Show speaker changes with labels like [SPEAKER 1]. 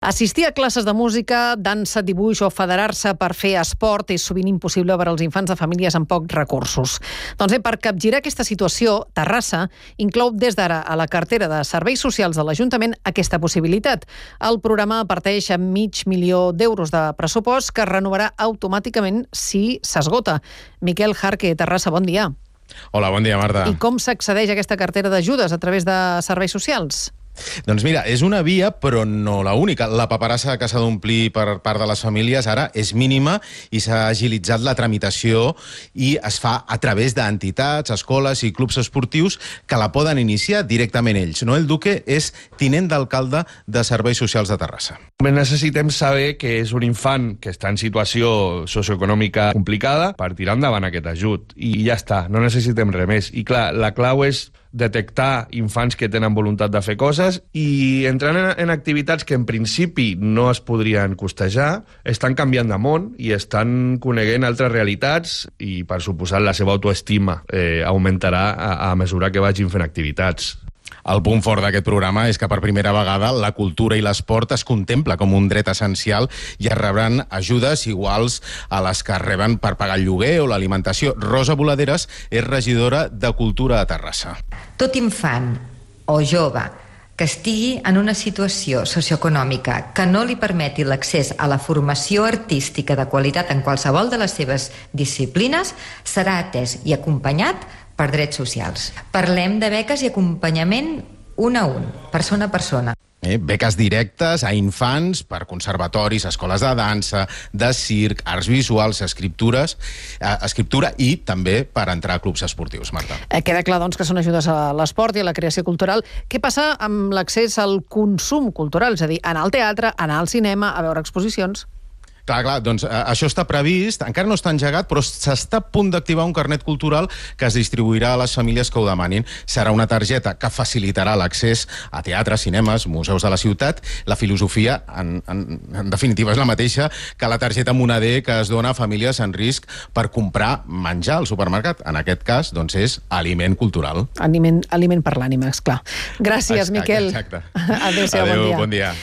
[SPEAKER 1] Assistir a classes de música, dansa, dibuix o federar-se per fer esport és sovint impossible per als infants de famílies amb pocs recursos. Doncs bé, per capgirar aquesta situació, Terrassa inclou des d'ara a la cartera de serveis socials de l'Ajuntament aquesta possibilitat. El programa parteix amb $500.000 de pressupost que es renovarà automàticament si s'esgota. Miquel Jarque, Terrassa, bon dia.
[SPEAKER 2] Hola, bon dia, Marta.
[SPEAKER 1] I com s'accedeix a aquesta cartera d'ajudes a través de serveis socials?
[SPEAKER 2] Doncs mira, és una via, però no la única. La paperassa que s'ha d'omplir per part de les famílies ara és mínima i s'ha agilitzat la tramitació i es fa a través d'entitats, escoles i clubs esportius que la poden iniciar directament ells. Noel Duque és tinent d'alcalde de Serveis Socials de Terrassa.
[SPEAKER 3] Necessitem saber que és un infant que està en situació socioeconòmica complicada per tirar endavant aquest ajut. I ja està, no necessitem res més. I clar, la clau és detectar infants que tenen voluntat de fer coses i entrant en activitats que en principi no es podrien costejar, estan canviant de món i estan coneguent altres realitats i, per suposat, la seva autoestima augmentarà a mesura que vagin fent activitats.
[SPEAKER 2] El punt fort d'aquest programa és que per primera vegada la cultura i l'esport es contempla com un dret essencial i es rebran ajudes iguals a les que reben per pagar el lloguer o l'alimentació. Rosa Boladeres és regidora de Cultura a Terrassa.
[SPEAKER 4] Tot infant o jove que estigui en una situació socioeconòmica que no li permeti l'accés a la formació artística de qualitat en qualsevol de les seves disciplines serà atès i acompanyat per drets socials. Parlem de beques i acompanyament un a un, persona a persona.
[SPEAKER 2] Beques directes a infants per conservatoris, escoles de dansa, de circ, arts visuals, escriptura i també per entrar a clubs esportius, Marta.
[SPEAKER 1] Queda clar, doncs, que són ajudes a l'esport i a la creació cultural. Què passa amb l'accés al consum cultural? És a dir, anar al teatre, anar al cinema, a veure exposicions?
[SPEAKER 2] Clar, doncs això està previst, encara no està engegat, però s'està a punt d'activar un carnet cultural que es distribuirà a les famílies que ho demanin. Serà una targeta que facilitarà l'accés a teatres, cinemes, museus de la ciutat. La filosofia, en definitiva, és la mateixa que la targeta Moneder que es dona a famílies en risc per comprar menjar al supermercat. En aquest cas, doncs, és aliment cultural.
[SPEAKER 1] Aliment per l'ànima, esclar. Gràcies, Miquel.
[SPEAKER 2] Exacte.
[SPEAKER 1] Adéu-siau, bon dia.
[SPEAKER 2] Bon dia.